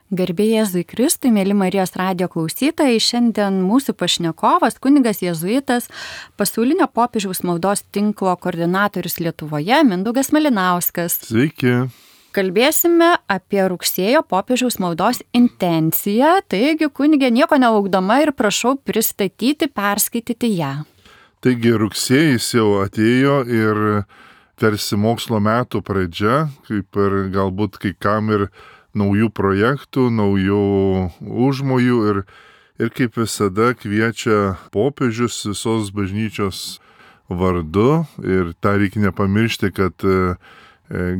Garbė Jėzui Kristui, mėly Marijos radijo klausytojai, šiandien mūsų pašnekovas, kunigas jėzuitas, pasaulinio popiežiaus maldos tinklo koordinatorius Lietuvoje, Mindaugas Malinauskas. Sveiki. Kalbėsime apie rugsėjo popiežiaus maldos intenciją, taigi kunigė nieko nelaukdama ir prašau pristatyti, perskaityti ją. Taigi rugsėjais jau atėjo ir tarsi mokslo metų pradžia, kaip ir galbūt kai kam ir naujų projektų, naujų užmojų ir kaip visada kviečia popiežius visos bažnyčios vardu ir tą reikia nepamiršti, kad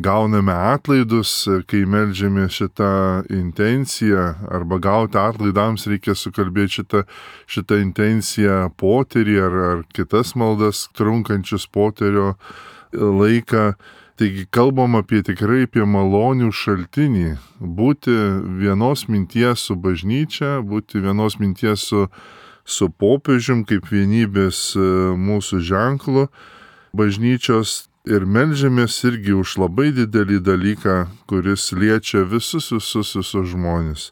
gauname atlaidus, kai meldžiame šitą intenciją arba gauti atlaidams reikia sukalbėti šitą intenciją poterį ar kitas maldas trunkančius poterio laiką. Taigi kalbam tikrai apie malonių šaltinį, būti vienos minties su bažnyčia, būti vienos minties su popiežium kaip vienybės mūsų ženklu bažnyčios ir meldžiamės irgi už labai didelį dalyką, kuris liečia visus žmonės.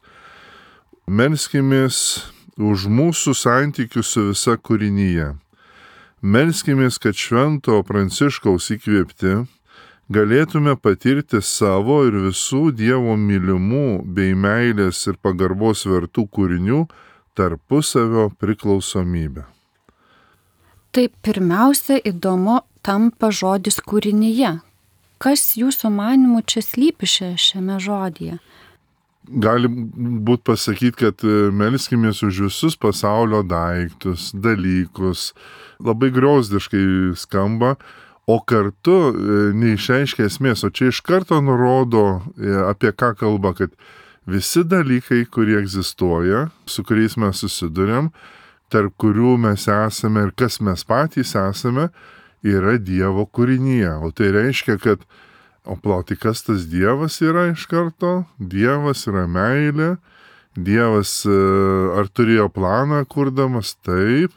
Melskimės už mūsų santykius su visa kūrinyje. Melskimės, kad Švento Pranciškaus įkvėpti galėtume patirti savo ir visų Dievo mylimų bei meilės ir pagarbos vertų kūrinių tarpusavio priklausomybę. Tai pirmiausia įdomu tampa žodis kūrinyje. Kas jūsų manimų čia slypi šiame žodyje? Gali būt pasakyti, kad melskimės už visus pasaulio daiktus, dalykus. Labai griozdiškai skamba, o kartu neišreiškia esmės, o čia iš karto nurodo apie ką kalba, kad visi dalykai, kurie egzistuoja, su kuriais mes susiduriam, tarp kurių mes esame ir kas mes patys esame, yra Dievo kūrinyje. O tai reiškia, kad tai kas tas Dievas yra iš karto? Dievas yra meilė. Dievas ar turėjo planą kurdamas? Taip.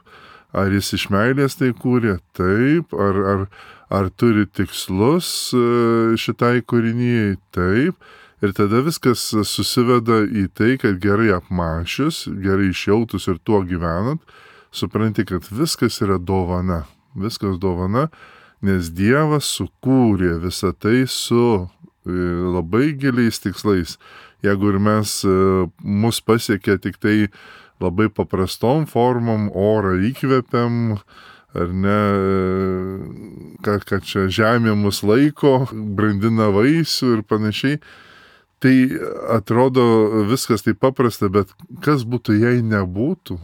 Ar jis iš meilės tai kūrė? Taip. Ar turi tikslus šitai kūrinyjei? Taip. Ir tada viskas susiveda į tai, kad gerai apmąsčius, gerai išjautus ir tuo gyvenant, supranti, kad viskas yra dovana. Viskas dovana, nes Dievas sukūrė visą tai su labai giliais tikslais. Jeigu ir mus pasiekia tik tai labai paprastom formom, orą įkvepiam, ar ne, kad čia žemė mus laiko, brandina vaisių ir panašiai, tai atrodo viskas taip paprasta, bet kas būtų, jei nebūtų?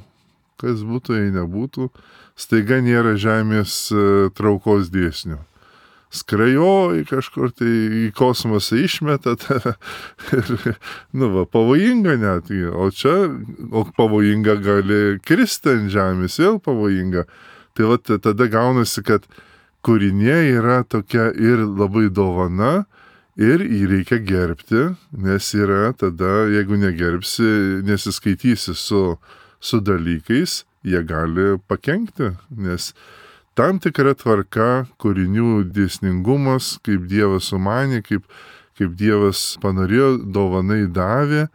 Kas būtų, jei nebūtų? Staiga nėra žemės traukos dėsnių. Skrajoji kažkur tai į kosmosą išmeta tave ir, pavojinga net. O pavojinga gali kristi ant žemės, vėl pavojinga. Tai tada gaunasi, kad kūrinė yra tokia ir labai dovana ir jį reikia gerbti, nes yra tada, jeigu negerbsi, nesiskaitysi su dalykais, jie gali pakenkti, nes tam tikra tvarka, kūrinių dėsningumas, kaip Dievas sumanė, kaip Dievas panorėjo, dovanai davė,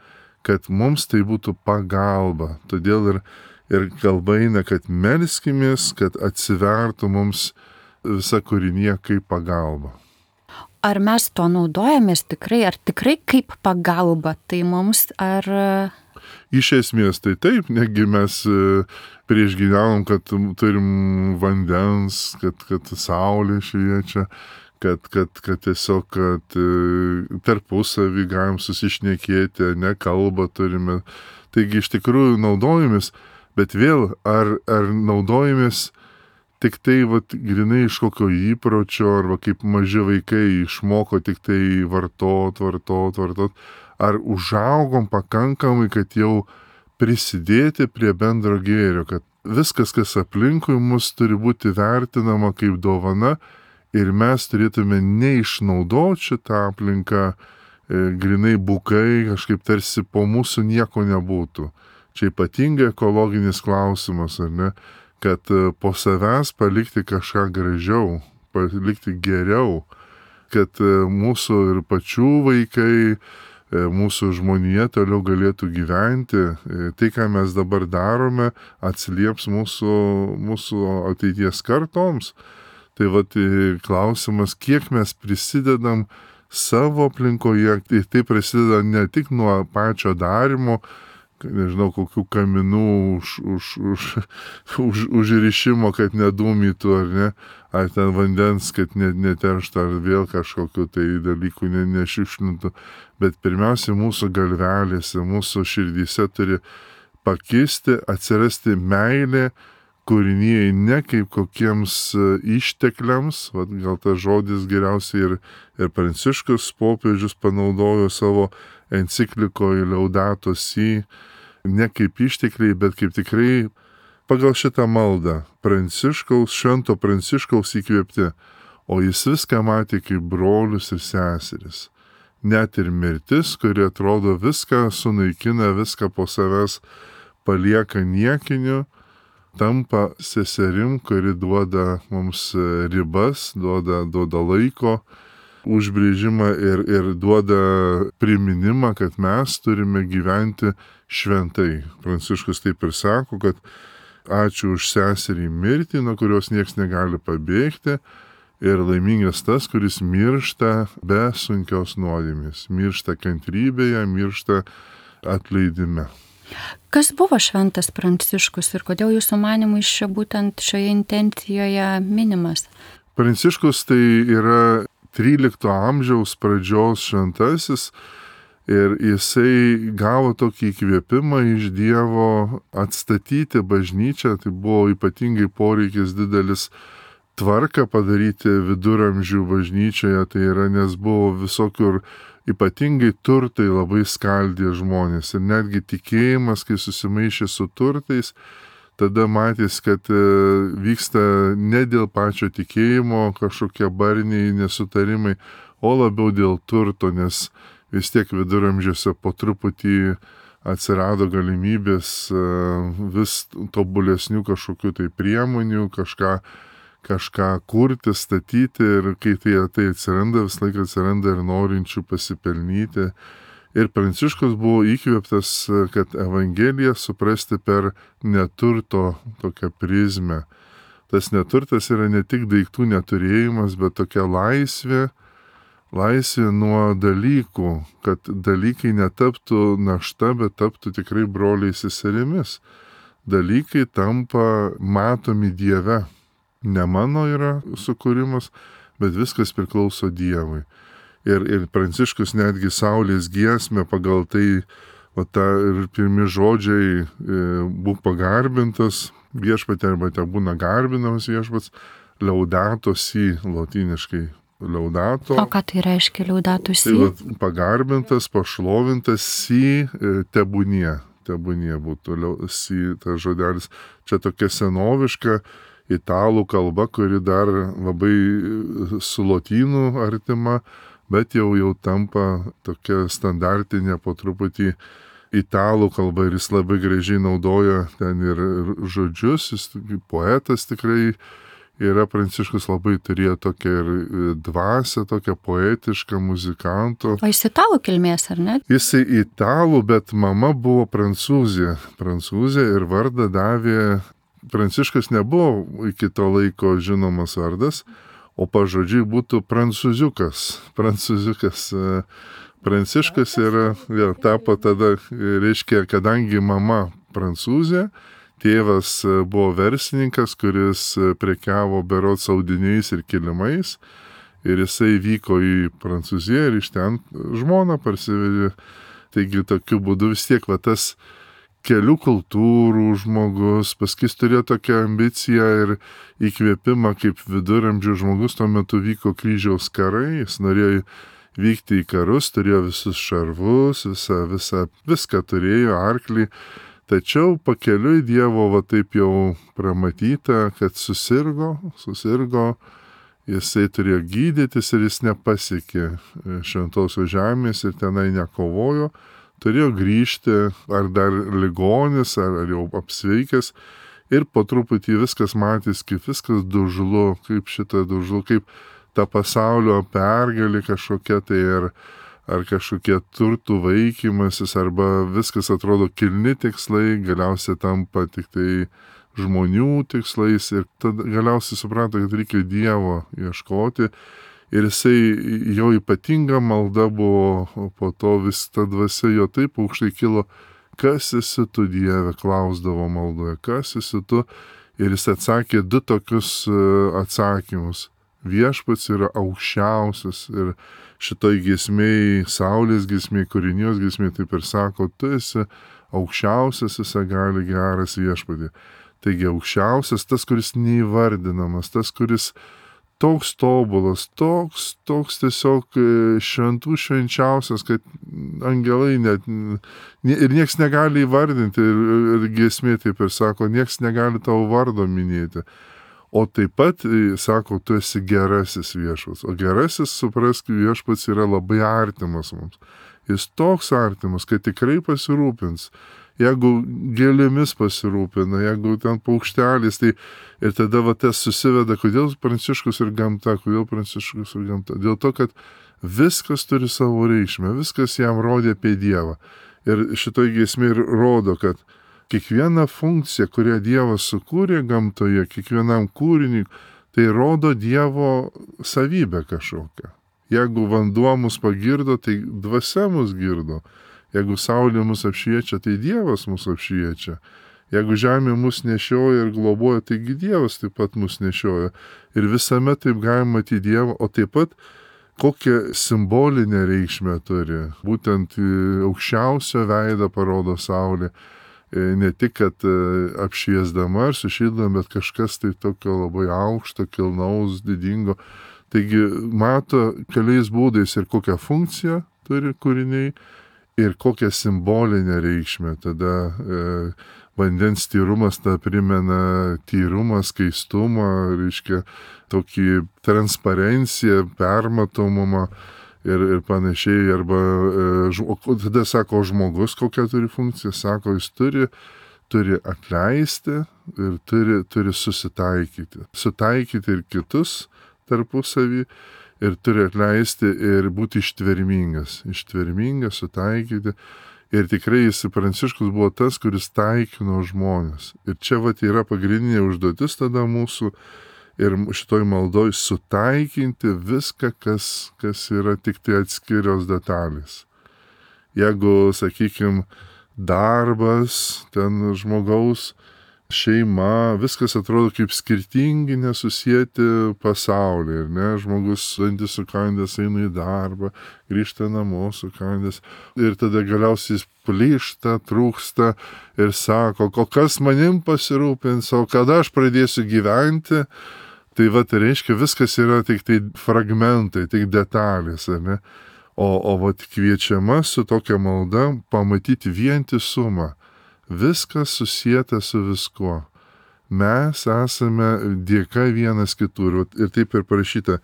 kad mums tai būtų pagalba. Todėl ir kalba eina, kad melskimės, kad atsivertų mums visa kūrinė kaip pagalba. Ar mes to naudojamės tikrai, ar tikrai kaip pagalba? Tai mums ar... Iš esmės tai taip, negi mes prieš gyvenom, kad turim vandens, kad saulė šviečia, kad tiesiog tarpusavį galim susišnekėti, ne kalbą turime. Taigi iš tikrųjų naudojamės, bet vėl ar naudojamės tik tai grinai iš kokio įpročio, arba kaip maži vaikai išmoko tik tai vartot. Ar užaugom pakankamai, kad jau prisidėti prie bendro gėrio, kad viskas, kas aplinkui mus, turi būti vertinama kaip dovana ir mes turėtume neišnaudoti šitą aplinką grinai bukai, kažkaip tarsi po mūsų nieko nebūtų. Čia ypatingai ekologinis klausimas, ar ne? Kad po savęs palikti kažką gražiau, palikti geriau, kad mūsų ir pačių vaikai mūsų žmonija toliau galėtų gyventi, tai, ką mes dabar darome, atsilieps mūsų ateities kartoms. Tai vat klausimas, kiek mes prisidedam savo aplinkoje, tai prasideda ne tik nuo pačio darimo, nežinau, kokių kaminų užrišimo, kad nedūmytų, ar ne, ar ten vandens, kad neterštų, ar vėl kažkokiu tai dalykų nešiukšlintų. Bet pirmiausia, mūsų galvelėse, mūsų širdyse turi pakisti, atsirasti meilė kūrinijai, ne kaip kokiems ištekliams, gal tas žodis geriausiai ir Pranciškus popiežius panaudojo savo enciklikoje Laudato Si, ne kaip ištekliai, bet kaip tikrai pagal šitą maldą Švento Pranciškaus įkvėpti, o jis viską matė kaip brolius ir seseris. Net ir mirtis, kuri atrodo viską sunaikina, viską po savęs palieka niekiniu, tampa seserim, kuri duoda mums ribas, duoda laiko užbrėžimą ir duoda priminimą, kad mes turime gyventi šventai. Pranciškus taip ir sako, kad ačiū už seserį mirtį, nuo kurios nieks negali pabėgti, ir laimingas tas, kuris miršta be sunkios nuodėmės, miršta kantrybėje, miršta atleidime. Kas buvo šventas Pranciškus ir kodėl jūsų manimų iš čia būtent šioje intencijoje minimas? Pranciškus tai yra 13 amžiaus pradžios šventasis ir jisai gavo tokį įkvėpimą iš Dievo atstatyti bažnyčią, tai buvo ypatingai poreikis didelis tvarką padaryti viduramžių bažnyčioje, tai yra, nes buvo visokiur ypatingai turtai labai skaldė žmonės ir netgi tikėjimas, kai susimaišė su turtais, tada matys, kad vyksta ne dėl pačio tikėjimo kažkokie barniai nesutarimai, o labiau dėl turto, nes vis tiek viduramžiuose po truputį atsirado galimybės vis tobulesnių kažkokių tai priemonių, kažką kurti, statyti, ir kai tai atsiranda, vis laik atsiranda ir norinčių pasipelnyti. Ir Pranciškus buvo įkvėptas, kad Evangeliją suprasti per neturto tokią prizmę. Tas neturtas yra ne tik daiktų neturėjimas, bet tokia laisvė nuo dalykų, kad dalykai netaptų našta, bet taptų tikrai broliais seserimis. Dalykai tampa matomi Dieve. Ne mano yra sukūrimas, bet viskas priklauso Dievui. Ir Pranciškus netgi Saulės giesmę pagal tai, ir pirmi žodžiai būk pagarbintas viešpatė, arba te būna garbinamas viešpats, Laudato Si, lotyniškai Laudato. O ką tai reiškia Laudato Si? Tai pagarbintas, pašlovintas, Si, tebūnie būtų Si, tas žodelis. Čia tokia senoviška italų kalba, kuri dar labai su lotynų artima, bet jau tampa tokia standartinė po truputį italų kalba, ir jis labai gražiai naudoja ten ir žodžius, jis poetas tikrai yra. Pranciškus labai turėjo tokią ir dvasią, tokią poetišką muzikanto. O jis italų kilmės, ar ne? Jisai italų, bet mama buvo prancūzė ir vardą davė. Pranciškus nebuvo iki to laiko žinomas vardas, o pažodžiui būtų prancūziukas. Pranciškus vėl tapo tada, reiškia, kadangi mama prancūzė, tėvas buvo verslininkas, kuris prekiavo berods audiniais ir kilimais, ir jisai vyko į Prancūziją ir iš ten žmoną parsivedė. Taigi tokiu būdu vis tiek tas kelių kultūrų žmogus, paskui turėjo tokią ambiciją ir įkvėpimą kaip viduramžių žmogus. Tuo metu vyko kryžiaus karai, jis norėjo vykti į karus, turėjo visus šarvus, viską turėjo, arklį. Tačiau pakeliui Dievo taip jau pramatyta, kad susirgo, jisai turėjo gydytis ir jis nepasiekė šventosios žemės ir tenai nekovojo. Turėjo grįžti, ar dar ligonis, ar jau apsveikęs, ir po truputį viskas matys, kaip viskas kaip ta pasaulio pergalė kažkokia tai, ar kažkokie turtų vaikymasis, arba viskas atrodo kilni tikslai, galiausiai tampa tik tai žmonių tikslais ir tada galiausiai suprato, kad reikia Dievo ieškoti. Ir jisai, jo ypatinga malda buvo, po to vis ta dvasia jo taip aukštai kilo, kas esi tu, Dieve, klausdavo maldoje, kas esi tu. Ir jis atsakė 2 tokius atsakymus. Viešpats yra aukščiausias ir šitoj giesmėj, saulės giesmėj, kūrinijos giesmėj taip ir sako, tu esi aukščiausias, visagali geras Viešpatie. Taigi aukščiausias, tas, kuris neįvardinamas, tas, kuris toks tobulas, toks tiesiog šventų švenčiausias, kad angelai net ir nieks negali įvardinti ir giesmė taip ir sako, nieks negali tavo vardo minėti. O taip pat sako, tu esi gerasis Viešpats. O gerasis, suprask, Viešpats yra labai artimas mums. Jis toks artimas, kad tikrai pasirūpins. Jeigu gėlėmis pasirūpina, jeigu ten paukštelis, tai ir tada va tas susiveda, kodėl Pranciškus ir gamta, Dėl to, kad viskas turi savo reikšmę, viskas jam rodė apie Dievą. Ir šitoj giesmė ir rodo, kad kiekviena funkcija, kurią Dievas sukūrė gamtoje, kiekvienam kūriniui, tai rodo Dievo savybę kažkokią. Jeigu vanduo mus pagirdo, tai dvasia mus girdo. Jeigu saulė mus apšviečia, tai Dievas mus apšviečia. Jeigu žemė mus nešioja ir globoja, taigi Dievas taip pat mus nešioja. Ir visame taip galima matyti Dievą, o taip pat kokią simbolinę reikšmę turi. Būtent aukščiausio veidą parodo saulė. Ne tik, kad apšviesdama ar sušildama, bet kažkas tai tokio labai aukšto, kilnaus, didingo. Taigi mato keliais būdais ir kokią funkciją turi kūriniai, ir kokią simbolinę reikšmę. Tada vandens tyrumas tą primena tyrumą, skaistumą, reiškia tokį transparenciją, permatomumą ir panašiai. Arba tada sako žmogus, kokią turi funkciją, sako, jis turi atleisti ir turi susitaikyti. Sutaikyti ir kitus tarpusavį. Ir turi atleisti ir būti ištvermingas, sutaikyti. Ir tikrai Pranciškus buvo tas, kuris taikino žmonės. Ir čia yra pagrindinė užduotis tada mūsų ir šitoj maldoj sutaikinti viską, kas yra tik tai atskirios detalės. Jeigu, sakykime, darbas, ten žmogaus, šeima, viskas atrodo kaip skirtingi, nesusieti pasauliai, ir ne, žmogus dantis sukandęs eina į darbą, grįžta namo sukandęs, ir tada galiausiai jis plyšta, trūksta ir sako, o kas manim pasirūpins, o kada aš pradėsiu gyventi, tai reiškia, viskas yra tik tai fragmentai, tik detalės, ne, o kviečiama su tokia malda pamatyti vientisumą. Viskas susieta su viskuo. Mes esame dėka vienas kitur. Ir taip ir parašyta,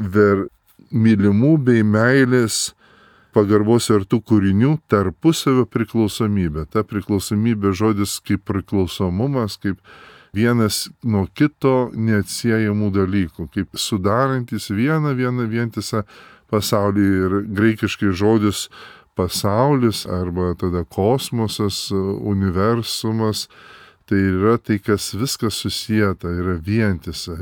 ver mylimų bei meilės pagarbos ir tų kūrinių tarpusavio priklausomybė. Ta priklausomybė žodis kaip priklausomumas, kaip vienas nuo kito neatsiejamų dalykų, kaip sudarantis vieną vientisą pasaulį. Ir graikiškai žodis pasaulis arba tada kosmosas, universumas, tai yra tai, kas viskas susieta, yra vientisa,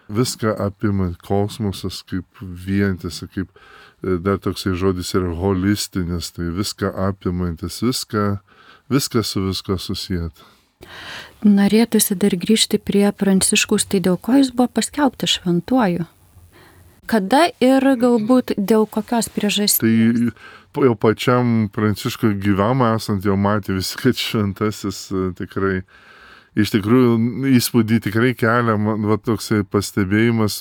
viską apima kosmosas kaip vientisa, kaip dar toksai žodis yra holistinis, tai viską apimantis, viską su visko susieta. Norėtųsi dar grįžti prie Pranciškaus, tai dėl ko jis buvo paskelbtas šventuoju? Kada ir galbūt dėl kokios priežasties? Tai jau pačiam Pranciškui gyvam esant jau matė visi, kad šventasis tikrai, iš tikrųjų įspūdį tikrai kelia, toksai pastebėjimas,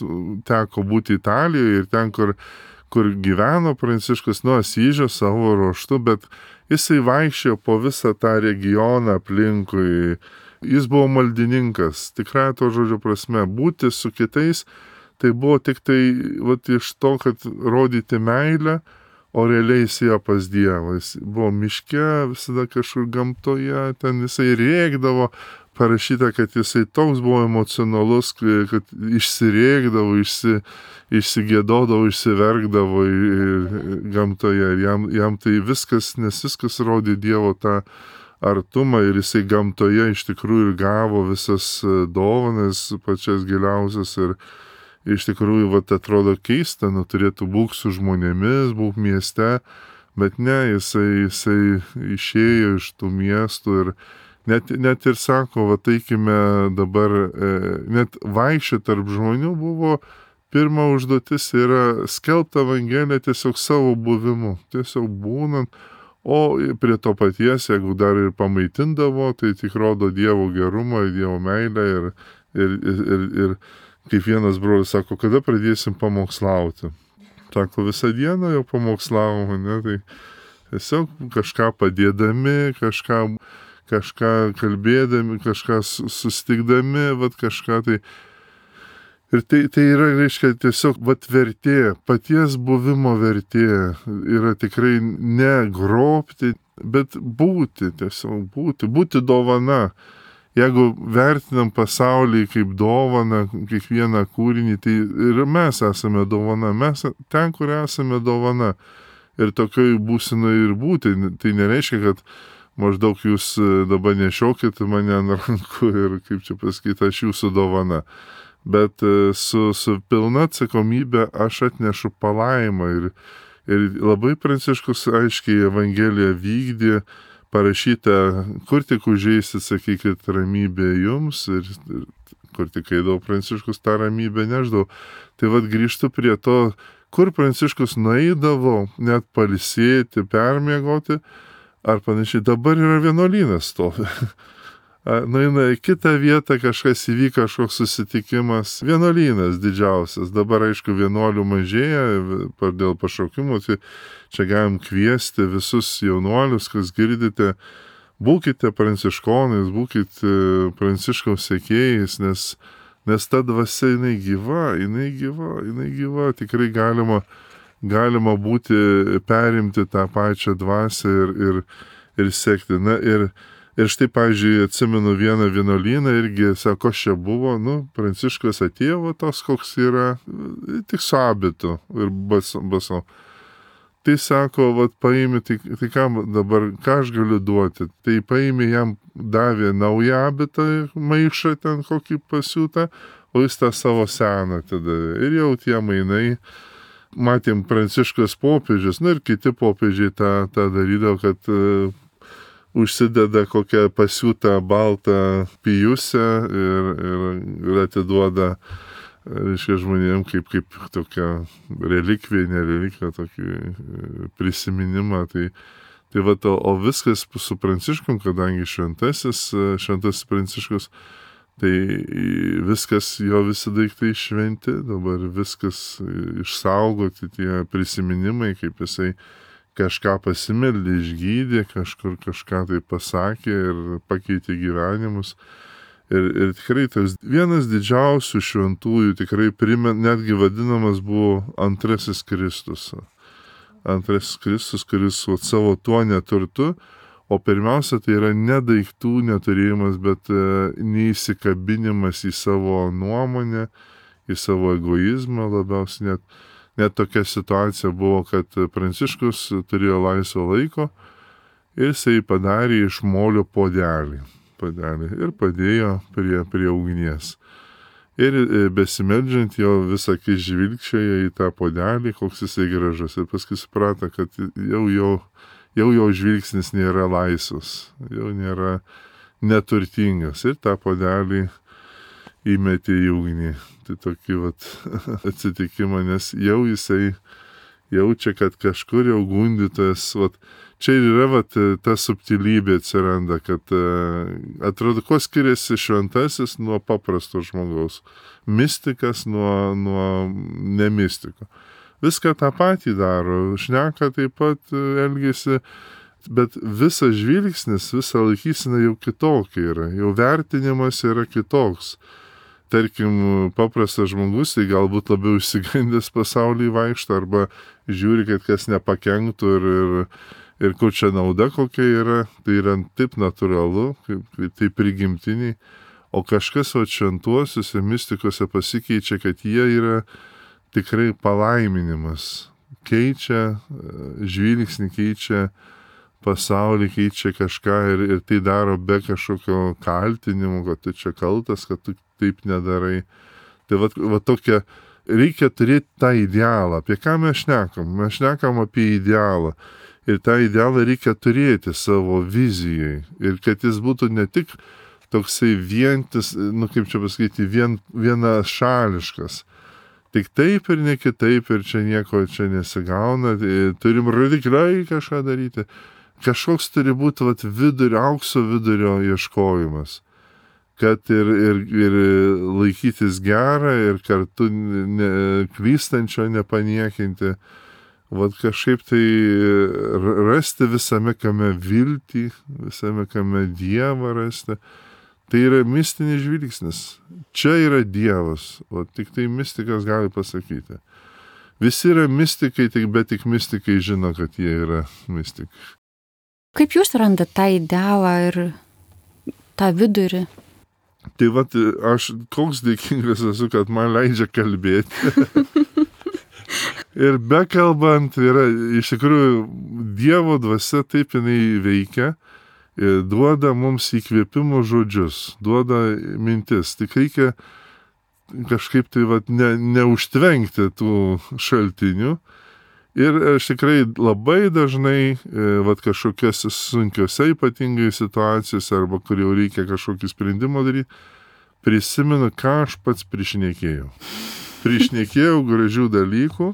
teko būti Italijoje ir ten, kur gyveno Pranciškus nuo Asyžio savo ruoštu, bet jisai vaikščiojo po visą tą regioną aplinkui. Jis buvo maldininkas, tikrai to žodžio prasme, būti su kitais. Tai buvo tik tai iš to, kad rodyti meilę, o realiai jis ėjo pas Dievą. Jis buvo miške, visada kažkur gamtoje, ten jisai rėkdavo, parašyta, kad jisai toks buvo emocionalus, kad išsirėkdavo, išsigėdodavo, išsiverkdavo gamtoje. Jam tai viskas, nes viskas rodė Dievo tą artumą ir jisai gamtoje iš tikrųjų gavo visas dovanas pačias giliausias ir iš tikrųjų, atrodo keista, turėtų būk su žmonėmis, būk mieste, bet ne, jisai išėjo iš tų miestų ir net ir sako, eikime dabar, net vaikščioti tarp žmonių buvo, pirma užduotis yra skelbti Evangeliją tiesiog savo buvimu, tiesiog būnant, o prie to paties, jeigu dar ir pamaitindavo, tai tik rodo Dievo gerumą, Dievo meilę ir kaip vienas brolis sako, kada pradėsim pamokslauti. Sako, visą dieną jau pamokslavom, ne, tai tiesiog kažką padėdami, kažką kalbėdami, kažką sustikdami, kažką tai. Ir tai yra, reiškia, tiesiog vertė, paties buvimo vertė yra tikrai ne grobti, bet būti, tiesiog būti dovana. Jeigu vertinam pasaulį kaip dovaną, kiekvieną kūrinį, tai ir mes esame dovana, mes ten, kur esame dovana. Ir tokioj būsenai ir būti, tai nereiškia, kad maždaug jūs dabar nešiokit mane ant rankų ir, kaip čia pasakyti, aš jūsų dovana. Bet su pilna atsakomybė aš atnešu palaimą ir labai Pranciškus aiškiai Evangeliją vykdė, parašyta, kur tik užeisit, sakykit, ramybė jums ir kur tik eidavo Pranciškus, tą ramybę neždavo. Tai grįžtu prie to, kur Pranciškus nueidavo, net pailsėti, permiegoti, ar panašiai, dabar yra vienuolynas stovi. Nueina į kitą vietą, kažkas įvyko, kažkoks susitikimas, vienuolynas didžiausias, dabar aišku vienuolių mažėja dėl pašaukimų, tai čia galim kviesti visus jaunuolius, kas girdite, būkite pranciškonais, būkite Pranciškaus sekėjais, nes ta dvasia jinai gyva, tikrai galima būti, perimti tą pačią dvasią ir sekti. Na, ir štai, pavyzdžiui, atsimenu vieną vienuolyną irgi, sako, čia buvo, Pranciškus atėjo tos, koks yra, tik su abitu ir baso. Tai sako, paimi, tai ką dabar, ką aš galiu duoti? Tai paimi, jam davė naują abitą, maišą ten kokį pasiūtą, o jis tą savo seną atidavė. Ir jau tie mainai, matėm Pranciškas popiežius, ir kiti popiežiai tą darydavo, kad užsideda kokią pasiūtą baltą pijusę ir atiduoda, reiškia, žmonėm kaip tokia relikvija, nerelikvija, tokį prisiminimą. Tai o viskas su Pranciškum, kadangi šventasis Pranciškus, tai viskas, jo visi daiktai šventi, dabar viskas išsaugoti, tie prisiminimai, kaip jisai kažką pasimeldė, išgydė, kažkur kažką tai pasakė ir pakeitė gyvenimus. Ir tikrai tas vienas didžiausių šventųjų, tikrai netgi vadinamas buvo antrasis Kristus. Antrasis Kristus, kuris savo tuo neturtu, o pirmiausia tai yra ne daiktų neturėjimas, bet neįsikabinimas į savo nuomonę, į savo egoizmą labiausiai net tokia situacija buvo, kad Pranciškus turėjo laisvo laiko ir jisai padarė iš molio puodelį ir padėjo prie ugnies. Ir besimeldžiant jo vis akis žvilgčioja į tą puodelį, koks jisai gražus. Ir paskui suprato, kad jau jo žvilgsnis nėra laisvas, jau nėra neturtingas. Ir tą puodelį įmetė į ugnį. Tai tokį atsitikimą, nes jau jisai jaučia, kad kažkur jau gundytas, čia ir yra ta subtilybė atsiranda, kad atrodo, kuo skiriasi šventasis nuo paprasto žmogaus, mistikas nuo nemistiko. Viską tą patį daro, šneka taip pat elgiasi, bet visas žvilgsnis, visa laikysena jau kitokia yra, jau vertinimas yra kitoks. tarkim, paprastas žmogus, tai galbūt labiau išsigandęs pasaulį vaikšto, arba žiūri, kad kas nepakenktų ir kur čia nauda kokia yra, tai yra taip natūralu, kaip tai prigimtiniai, o kažkas šventuosiuose mistikose pasikeičia, kad jie yra tikrai palaiminimas, keičia žvilgsnį, keičia pasaulį, keičia kažką ir tai daro be kažkokio kaltinimo, kad tu čia kaltas, kad tu taip nedarai. Tai va tokia, reikia turėti tą idealą. Apie ką mes šnekam? Mes šnekam apie idealą. Ir tą idealą reikia turėti savo vizijai. Ir kad jis būtų ne tik toksai vientis, kaip čia pasakyti, vienašališkas. Tik taip ir ne kitaip, ir čia nieko čia nesigauna, turim radikaliai kažką daryti. Kažkoks turi būti aukso vidurio ieškojimas, kad ir laikytis gerą, ir kartu klystančio nepaniekinti. Kažkaip tai rasti visame kame viltį, visame kame Dievą rasti. Tai yra mistinis žvilgsnis. Čia yra Dievas, tik tai mistikas gali pasakyti. Visi yra mistikai, bet tik mistikai žino, kad jie yra mistikai. Kaip jūs randat tą idealą ir tą vidurį? Tai aš koks dėkingas esu, kad man leidžia kalbėti. Ir bekalbant, iš tikrųjų Dievo dvasia taip jinai veikia, duoda mums įkvėpimo žodžius, duoda mintis. Tik reikia kažkaip tai neužtvenkti tų šaltinių. Ir aš tikrai labai dažnai, kažkokiose sunkiose ypatingai situacijose, arba kur jau reikia kažkokį sprendimą daryti, prisimenu, ką aš pats prišnekėjau. Prišnekėjau gražių dalykų,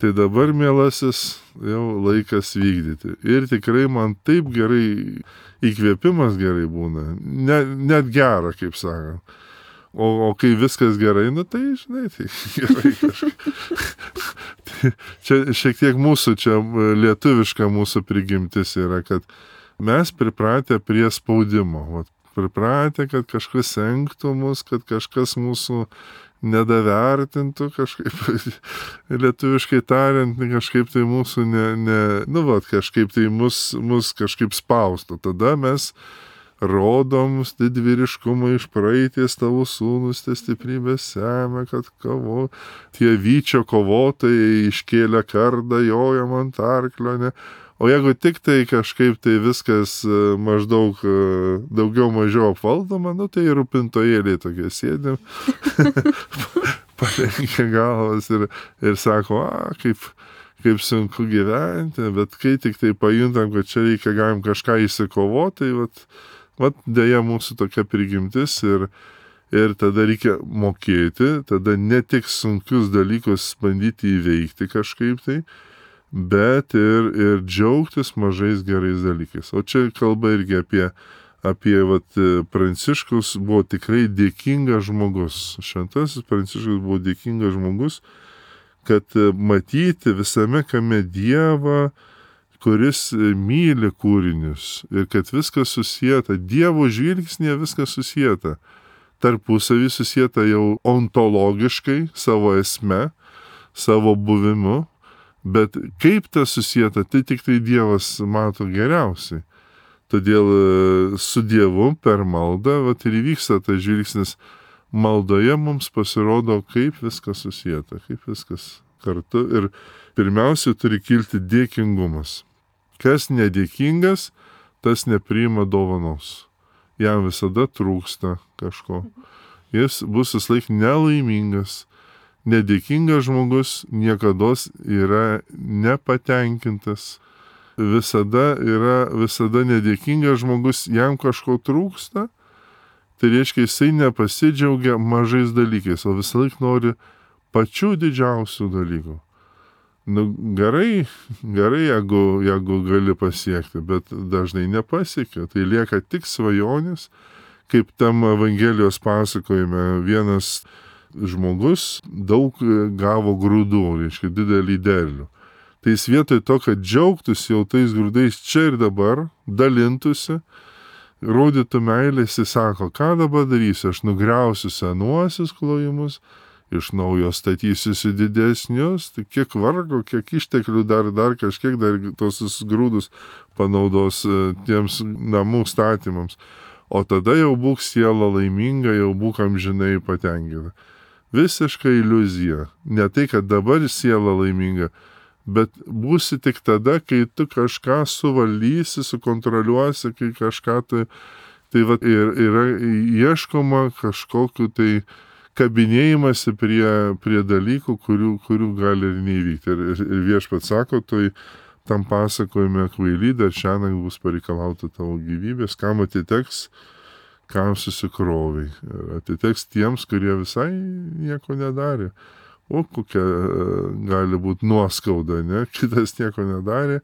tai dabar, mielasis, jau laikas vykdyti. Ir tikrai man taip gerai, įkvėpimas gerai būna, net gera, kaip sakant. O kai viskas gerai, tai žinai, tai gerai kažkaip. Čia šiek tiek mūsų, čia lietuviška mūsų prigimtis yra, kad mes pripratę prie spaudimo. Pripratę, kad kažkas senktų mus, kad kažkas mūsų nedavertintų kažkaip, lietuviškai tariant, kažkaip tai mūsų kažkaip tai mus kažkaip spaustų. Tada mes rodom didvyriškumą iš praeities, tavo sūnus tie stiprybės semia, kad tie vyčio kovotojai iškėlė kardą, jojam ant arklio, ne? O jeigu tik tai kažkaip tai viskas maždaug daugiau mažiau apvaldoma, tai rūpintojėliai tokie sėdim, palenkia galvas ir sako, kaip sunku gyventi, bet kai tik tai pajuntam, kad čia reikia galim kažką įsikovoti, tai dėja mūsų tokia prigimtis ir tada reikia mokėti, tada ne tik sunkius dalykus bandyti įveikti kažkaip tai, bet ir džiaugtis mažais gerais dalykais. O čia kalba irgi apie Pranciškus buvo tikrai dėkingas žmogus. Šventasis Pranciškus buvo dėkingas žmogus, kad matyti visame kame Dievą, kuris myli kūrinius ir kad viskas susieta, Dievo žvilgsnėje viskas susieta, tarpusavį susieta jau ontologiškai, savo esme, savo buvimu, bet kaip tas susieta, tai tik tai Dievas mato geriausiai. Todėl su Dievu per maldą ir įvyksta tas žvilgsnis. Maldoje mums pasirodo, kaip viskas susieta, kaip viskas kartu ir pirmiausia turi kilti dėkingumas. Kas nedėkingas, tas nepriima dovanos. Jam visada trūksta kažko. Jis bus vislaik nelaimingas. Nedėkingas žmogus niekados yra nepatenkintas. Visada nedėkingas žmogus, jam kažko trūksta, tai reiškia, jisai nepasidžiaugia mažais dalykais, o visąlaik nori pačių didžiausių dalykų. Gerai, jeigu gali pasiekti, bet dažnai nepasiekia. Tai lieka tik svajonės, kaip tam Evangelijos pasakojime vienas žmogus daug gavo grūdų, reiškia didelį derlių. Tai jis vietoj to, kad džiaugtųsi jau tais grūdais čia ir dabar, dalintųsi, rodytų meilę, jis sako, ką dabar darysiu, aš nugriausiu senuosius klojimus, iš naujo statysiu didesnius, tai kiek vargo, kiek išteklių dar kažkiek, dar tos grūdus panaudos tiems namų statymams. O tada jau būk siela laiminga, jau būk amžinai patenkinta. Visiška iliuzija. Ne tai, kad dabar siela laiminga, bet būsi tik tada, kai tu kažką suvaldysi, sukontroliuosi, kai kažką tai va, yra ieškoma kažkokiu tai kabinėjimasi prie dalykų, kurių gali ir neįvykti. Ir Viešpats sako, tam pasakojime kvaily, dar šiandien bus pareikalauta tavo gyvybės, kam atiteks, kam susikroviai. Ir atiteks tiems, kurie visai nieko nedarė. O kokia gali būti nuoskauda, ne? Kitas nieko nedarė.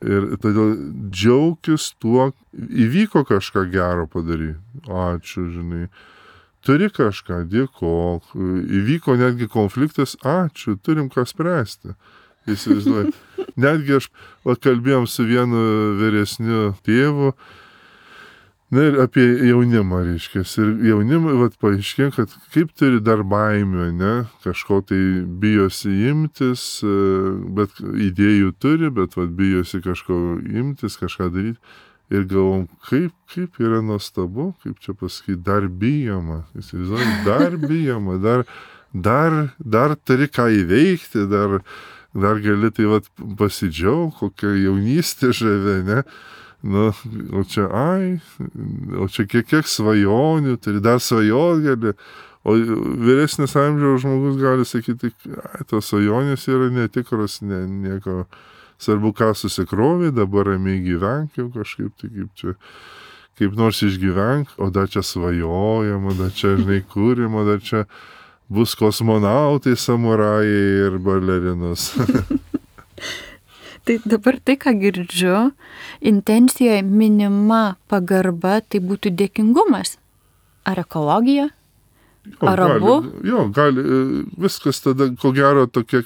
Ir todėl džiaukis tuo, įvyko kažką gero padaryti. Ačiū, žinai. Turi kažką, dėkok. Įvyko netgi konfliktas, ačiū, turim ką spręsti. Įsivaizduoju. Netgi aš kalbėjom su vienu vyresniu tėvu, ir apie jaunimą, reiškia. Ir jaunimą, paaiškėjo, kad kaip turi dar baimių, ne? Kažko tai bijosi imtis, bet idėjų turi, bet bijosi kažko imtis, kažką daryti. Ir galvom, kaip yra nuostabu, kaip čia pasakyti, dar bijoma. Įsivaizduoju, dar bijoma, dar turi ką įveikti, dar gali tai pasidžiaugti, kokia jaunystė žavė, ne? Nu, o čia kiek svajonių, turi dar svajot gali. O vyresnis amžiaus žmogus gali sakyti, tos svajonės yra netikros, nieko. Svarbu, ką susikrovė, dabar ramiai gyvenk jau kažkaip, tai kaip nors išgyvenk, o dar čia svajojama, dar čia, žinai, kūrima, dar čia bus kosmonautai, samurajai ir balerinos. Tai dabar tai, ką girdžiu, intencijoje minima pagarba, tai būtų dėkingumas. Ar ekologija? Ar abu? Gali, viskas tada, ko gero, tokia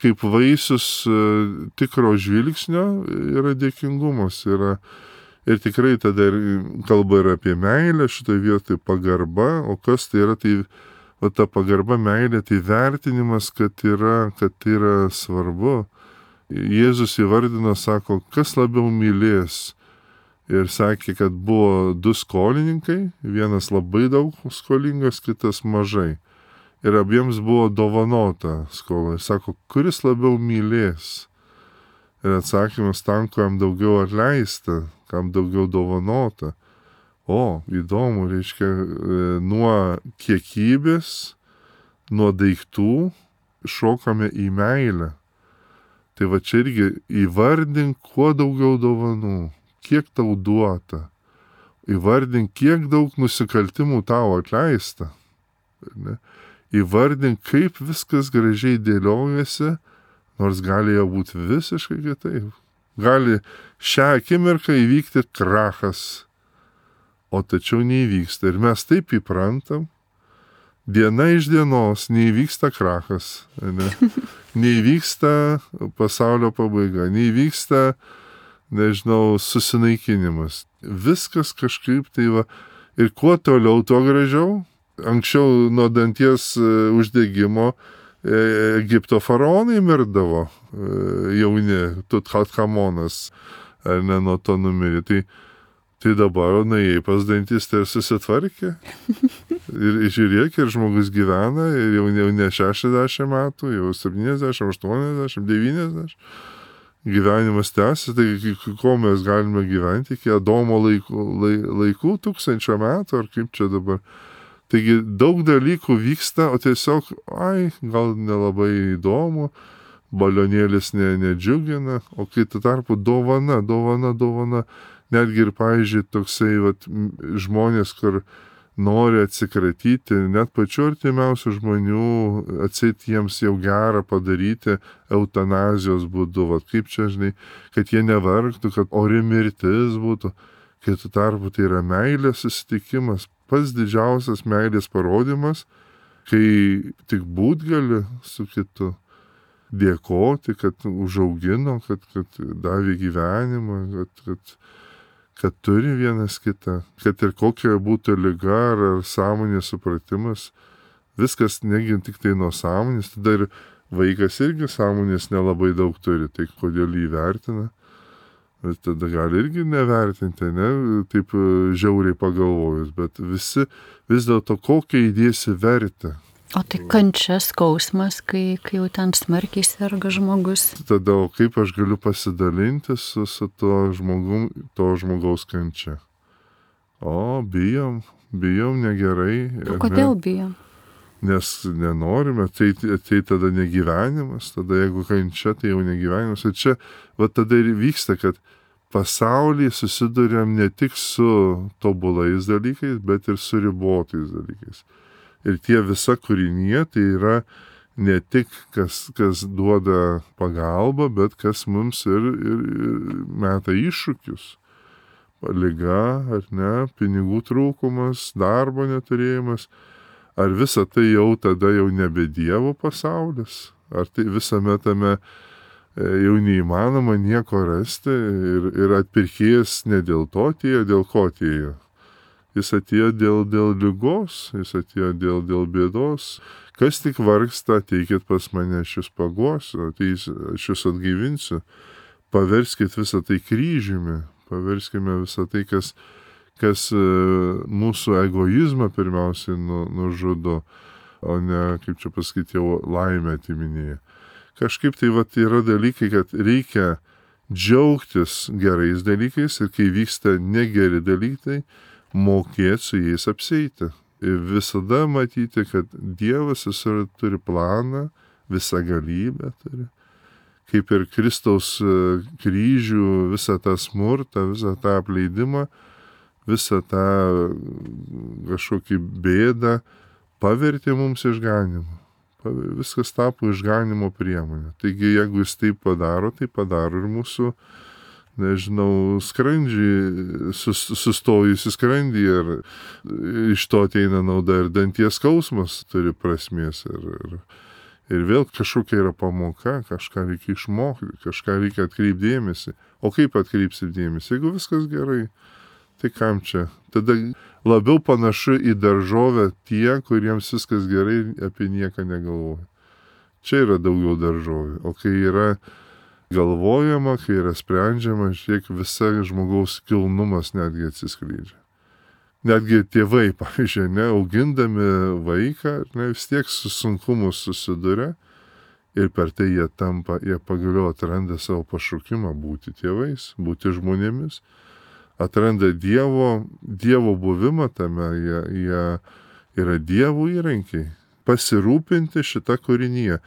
kaip vaisius tikro žvilgsnio yra dėkingumas. Ir tikrai tada kalba ir apie meilę, šitoje vietoje pagarba, o kas tai yra, tai ta pagarba, meilė, tai vertinimas, kad yra svarbu. Jėzus įvardino, sako, kas labiau mylės. Ir sakė, kad buvo 2 skolininkai, vienas labai daug skolingas, kitas mažai. Ir abiems buvo dovanota skola. Ir sako, kuris labiau mylės? Ir atsakymas tam, kam daugiau atleista, kam daugiau dovanota. O, įdomu, reiškia, nuo kiekybės, nuo daiktų šokame į meilę. Tai va čia irgi įvardink kuo daugiau dovanų, kiek tau duota. Įvardink, kiek daug nusikaltimų tau atleista. Ne? Įvardink, kaip viskas gražiai dėliojasi, nors gali jau būti visiškai kitaip. Gali šią akimirką įvykti krachas, o tačiau neįvyksta. Ir mes taip įprantam, diena iš dienos neįvyksta krachas, ne? Neįvyksta pasaulio pabaiga, neįvyksta, nežinau, susinaikinimas. Viskas kažkaip tai va. Ir kuo toliau, tuo gražiau. Anksčiau nuo danties uždegimo Egipto faraonai mirdavo jauni, Tutchanchamonas, ar ne, nuo to numirė. Tai dabar nuėjai pas dantistą ir susitvarkė. Ir žiūrėk, ir žmogus gyvena, ir jau ne 60 metų, jau 70, 80, 90. Gyvenimas tęsiasi, tai ko mes galime gyventi iki Adomo laikų 1000 metų, ar kaip čia dabar. Taigi daug dalykų vyksta, o tiesiog, gal nelabai įdomu, balionėlis nedžiugina, o kai tu tarpu dovana. Netgi ir, pavyzdžiui, toksai žmonės, kur nori atsikratyti, net pačiu artimiausių žmonių, atseit jiems jau gerą padaryti eutanazijos būdu, kaip čia, žinai, kad jie nevargtų, kad ori mirtis būtų, kai tu tarpu tai yra meilės susitikimas, pats didžiausias meilės parodimas, kai tik būt gali su kitu, dėkoti, kad užaugino, kad davė gyvenimą, kad turi vienas kitą, kad ir kokia būtų liga ar sąmonės supratimas, viskas negi tik tai nuo sąmonės, tada ir vaikas irgi sąmonės nelabai daug turi, tai kodėl jį vertina? Bet tada gali irgi nevertinti, ne, taip žiauriai pagalvojus, bet visi vis dėlto kokią įdėsi vertę. O tai kančia, skausmas, kai jau ten smarkiai serga žmogus. Tada, o kaip aš galiu pasidalinti su to žmogaus kančia? O, bijom negerai. O kodėl bijom? Nes nenorime, tai tada negyvenimas, tada jeigu kančia, tai jau negyvenimas. Ir čia, va tada ir vyksta, kad pasaulyje susiduriam ne tik su tobulais dalykais, bet ir su ribotais dalykais. Ir tie visa kūrinė, tai yra ne tik kas duoda pagalbą, bet kas mums ir meta iššūkius. Liga, ar ne, pinigų trūkumas, darbo neturėjimas. Ar visa tai jau tada jau nebe Dievo pasaulis? Ar tai visame tame jau neįmanoma nieko rasti ir atpirkėjas ne dėl to atėjo, dėl ko atėjo? Jis atėjo dėl ligos, jis atėjo dėl bėdos. Kas tik vargsta, ateikit pas mane, aš jūs paguosiu, aš jūs atgaivinsiu. Paverskit visą tai kryžiumi, paverskime visą tai, kas mūsų egoizmą pirmiausiai nužudo, o ne, kaip čia pasakyti, jau laimę atiminėja. Kažkaip tai yra dalykai, kad reikia džiaugtis gerais dalykais ir kai vyksta negeri dalykai, mokėti su jais apsieiti. Ir visada matyti, kad Dievas turi planą, visą galybę turi. Kaip ir Kristaus kryžių, visą tą smurtą, visą tą apleidimą, visą tą kažkokį bėdą pavertė mums išganimu. Viskas tapo išganimo priemonė. Taigi, jeigu jis taip padaro, tai padaro ir mūsų, nežinau, skrandžiai, sustojusi skrandį, ir iš to ateina nauda, ir danties skausmas turi prasmės. Ir vėl kažkokia yra pamoka, kažką reikia išmokti, kažką reikia atkreipti dėmesį. O kaip atkreipsi dėmesį? Jeigu viskas gerai, tai kam čia? Tada labiau panašu į daržovę tie, kuriems viskas gerai, apie nieką negalvoja. Čia yra daugiau daržovė. O kai yra galvojama, kai yra sprendžiama, žiūrėk, visa žmogaus kilnumas netgi atsiskleidžia. Netgi tėvai, pavyzdžiui, augindami vaiką, vis tiek su sunkumu susiduria ir per tai jie pagaliau atranda savo pašaukimą būti tėvais, būti žmonėmis. Atranda Dievo buvimą tame, jie yra Dievo įrankiai. Pasirūpinti šitą kūrinyje.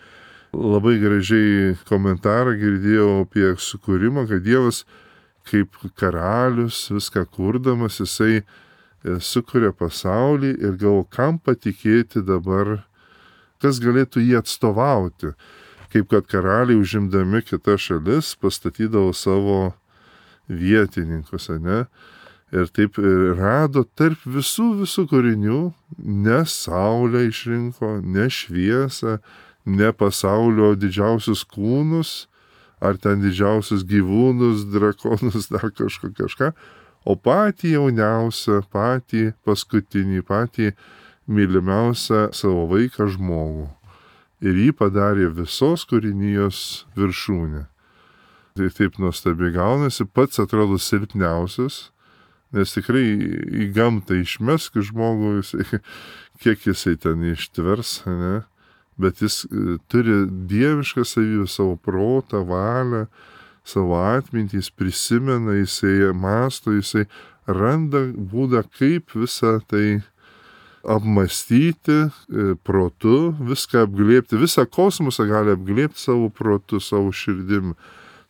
Labai gražiai komentarą girdėjau apie sukūrimą, kad Dievas kaip karalius, viską kurdamas, jisai sukuria pasaulį ir galvo, kam patikėti dabar, kas galėtų jį atstovauti. Kaip kad karaliai užimdami kitas šalis pastatydavo savo vietininkus, ne? Ir taip rado tarp visų kūrinių, ne saulę išrinko, ne šviesą, ne pasaulio didžiausius kūnus, ar ten didžiausius gyvūnus, drakonus, dar kažką, o patį jauniausią, patį paskutinį, patį mylimiausią savo vaiką žmogų. Ir jį padarė visos kūrinijos viršūnė. Tai taip nuostabiai gaunasi, pats atrodo silpniausias, nes tikrai į gamtą išmesk žmogų, kiek jisai ten ištvers, ne? Bet jis turi dievišką savybę, savo protą, valią, savo atmintį, jis prisimena, jisai mąsto, jisai randa būdą, kaip visą tai apmastyti protu, viską apglėbti, visą kosmosą gali apglėbti savo protu, savo širdim.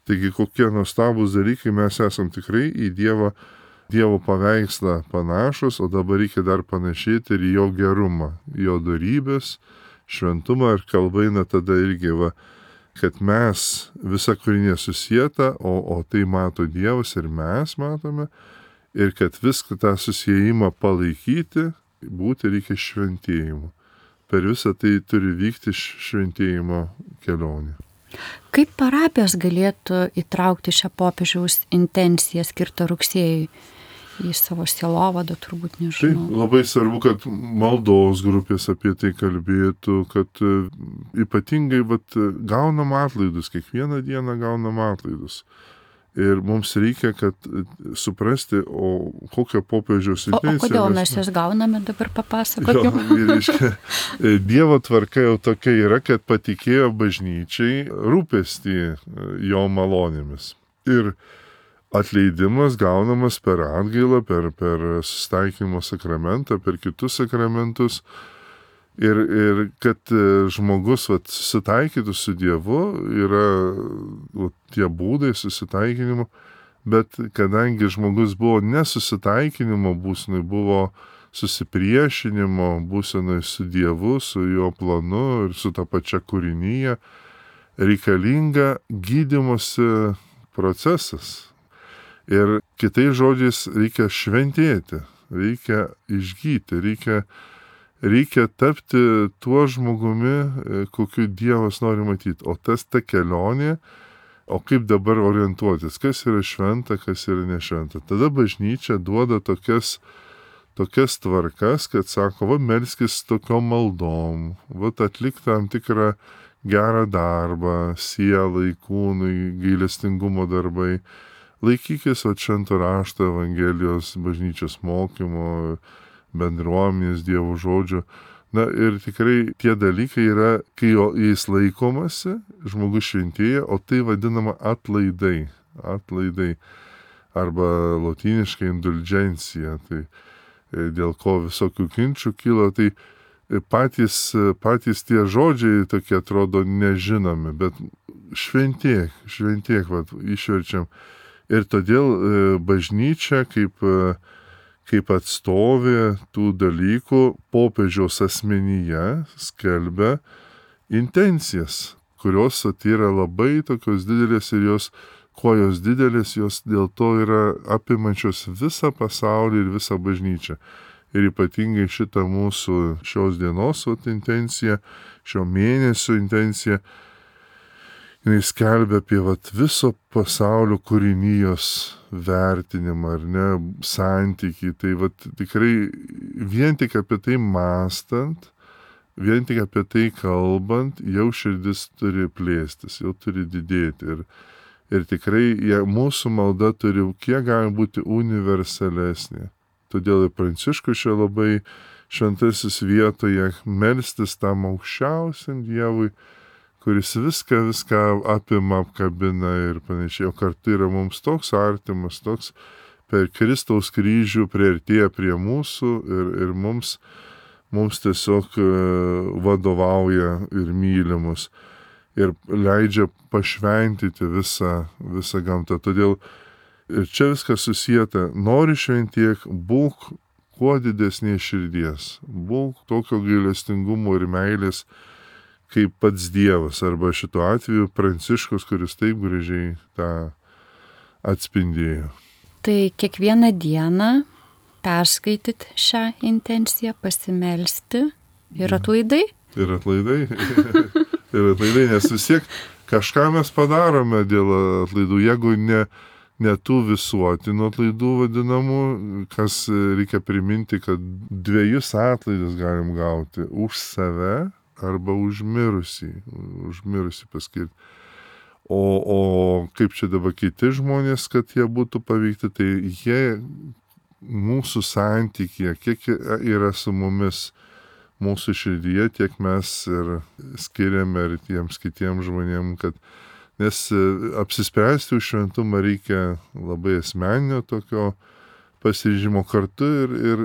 Taigi kokie nuostabūs dalykai, mes esam tikrai į Dievo paveikslą panašus, o dabar reikia dar panašėti ir jo gerumą, jo dorybės, šventumą, ir kalba eina tada irgi, kad mes visa kūrinė susieta, o tai mato Dievas ir mes matome, ir kad viską tą susijimą palaikyti, būti reikia šventėjimu. Per visą tai turi vykti šventėjimo kelionė. Kaip parapijos galėtų įtraukti šią popiežiaus intenciją skirtą rugsėjui į savo sielovadą, turbūt nežinau. Taip, labai svarbu, kad maldos grupės apie tai kalbėtų, kad ypatingai gaunam atlaidus, kiekvieną dieną gaunam atlaidus. Ir mums reikia, kad suprasti, o kokią popiežiaus intenciją. O kodėl mes jas gauname, dabar papasakokime. Dievo tvarka jau tokia yra, kad patikėjo bažnyčiai rūpestį jo malonėmis. Ir atleidimas gaunamas per atgailą, per susitaikymo sakramentą, per kitus sakramentus. Ir kad žmogus susitaikytų su Dievu, yra tie būdai susitaikinimo, bet kadangi žmogus buvo nesusitaikinimo būsenai, buvo susipriešinimo būsenai su Dievu, su jo planu ir su ta pačia kūrinyje, reikalinga gydymosi procesas. Ir kitais žodžiais reikia šventėti, reikia išgyti, reikia tapti tuo žmogumi, kokiu Dievas nori matyti. O ta kelionė, o kaip dabar orientuotis, kas yra šventa, kas yra nešventa. Tada bažnyčia duoda tokias tvarkas, kad sako, melskis tokiom maldom, atlik tam tikrą gerą darbą, sielai, kūnui, gailestingumo darbai. Laikykis švento rašto, Evangelijos, bažnyčios mokymo, bendruomenės, Dievo žodžio. Na ir tikrai tie dalykai yra, kai jais laikomasi, žmogus šventėja, o tai vadinama atlaidai. Atlaidai. Arba lotyniškai indulgencija. Tai dėl ko visokių kinčių kilo, tai patys tie žodžiai tokie atrodo nežinomi, bet šventėk, išverčiam. Ir todėl bažnyčia kaip atstovė tų dalykų popiežiaus asmenyje skelbia intencijas, kurios yra labai tokios didelės ir kuo jos didelės, jos dėl to yra apimančios visą pasaulį ir visą bažnyčią. Ir ypatingai šitą mūsų šios dienos intenciją, šio mėnesio intenciją, jis skelbia apie viso pasaulio kūrinijos vertinimą, ar ne, santykį. Tai tikrai vien tik apie tai mąstant, vien tik apie tai kalbant, jau širdis turi plėstis, jau turi didėti. Ir tikrai mūsų malda turi kiek gali būti universalesnė. Todėl ir Pranciškus čia labai šventasis vietoje melstis tam aukščiausiam Dievui, kuris viską apima, apkabina ir panašiai, o kartu yra mums toks artimas, toks per Kristaus kryžių priartėja prie mūsų ir mums tiesiog vadovauja ir myli mus ir leidžia pašventyti visą gamtą. Todėl ir čia viskas susijęta, nori šventiek, būk kuo didesnės širdies, būk tokio gailestingumo ir meilės, kaip pats Dievas, arba šituo atveju Pranciškus, kuris taip gražiai tą atspindėjo. Tai kiekvieną dieną perskaityti šią intenciją, pasimelsti ir atlaidai? Ir atlaidai. Ir atlaidai, nes vis tiek kažką mes padarome dėl atlaidų, jeigu ne tų visuotinų atlaidų vadinamų, kas reikia priminti, kad 2 atlaidus galim gauti už save arba užmirusį paskirti. O kaip čia dabar kiti žmonės, kad jie būtų paveikti, tai jie mūsų santykėje, kiek yra su mumis mūsų širdyje, tiek mes ir skiriame ir tiems kitiems žmonėms, nes apsispręsti už šventumą reikia labai asmeninio tokio pasiryžimo kartu ir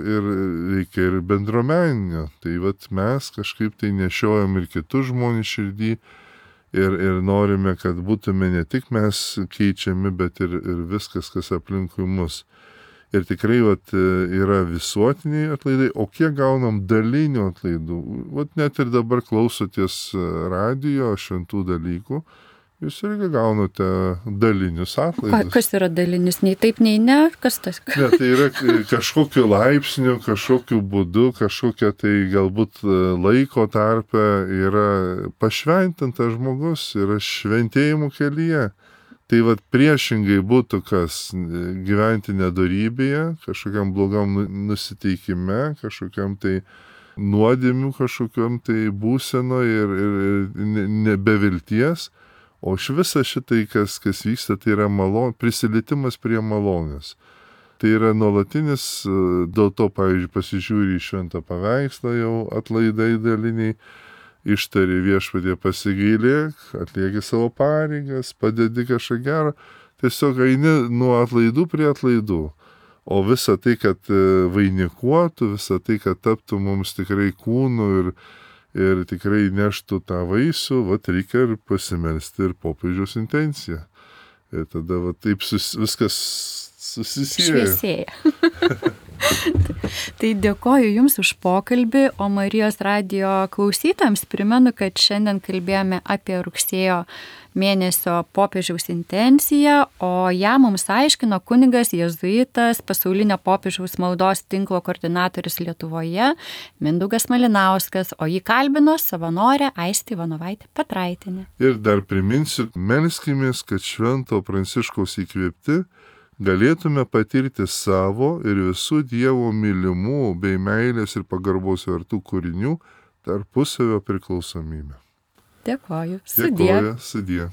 reikia ir bendruomeninio. Tai mes kažkaip tai nešiojam ir kitus žmonės širdį ir norime, kad būtume ne tik mes keičiami, bet ir viskas, kas aplinkui mus. Ir tikrai yra visuotiniai atlaidai, o kiek gaunam dalinių atlaidų. Net ir dabar klausoties radijo šventų dalykų jūs irgi gaunate dalinius atlaidus. Kas yra dalinis? Nei taip, nei ne? Kas tas? Ne, tai yra kažkokiu laipsniu, kažkokiu būdu, kažkokia tai galbūt laiko tarpe yra pašventintas žmogus, yra šventėjimų kelyje. Tai vat priešingai būtų kas gyventi nedorybėje, kažkokiam blogam nusiteikime, kažkokiam tai nuodėmių, kažkokiam tai būseno ir nebevilties. O iš visą šitai, kas vyksta, tai yra prisilietimas prie malonės. Tai yra nuolatinis, dėl to, pavyzdžiui, pasižiūri į šventą paveikslą jau atlaidai daliniai, ištari Viešpatie pasigailėk, atlieki savo pareigas, padedi kažką gerą, tiesiog eini nuo atlaidų prie atlaidų. O visa tai, kad vainikuotų, visa tai, kad taptų mums tikrai kūnu ir tikrai neštų tą vaisių, vat reikia ir pasimelsti ir popiežiaus intenciją. Ir tada vat taip viskas susisieja. Šviesėja. Tai dėkoju Jums už pokalbį, o Marijos radijo klausytams primenu, kad šiandien kalbėjome apie rugsėjo mėnesio popiežiaus intenciją, o ją mums aiškino kunigas jėzuitas, pasaulinio popiežiaus maldos tinklo koordinatorius Lietuvoje, Mindaugas Malinauskas, o jį kalbino savanorė Aistė Ivanovaitė Petraitienė. Ir dar priminsiu, melskimės, kad Švento Pranciškaus įkvėpti galėtume patirti savo ir visų Dievo mylimų bei meilės ir pagarbos vertų kūrinių tarpusavio priklausomybę. Dėkoju. Dėkoju, sudie.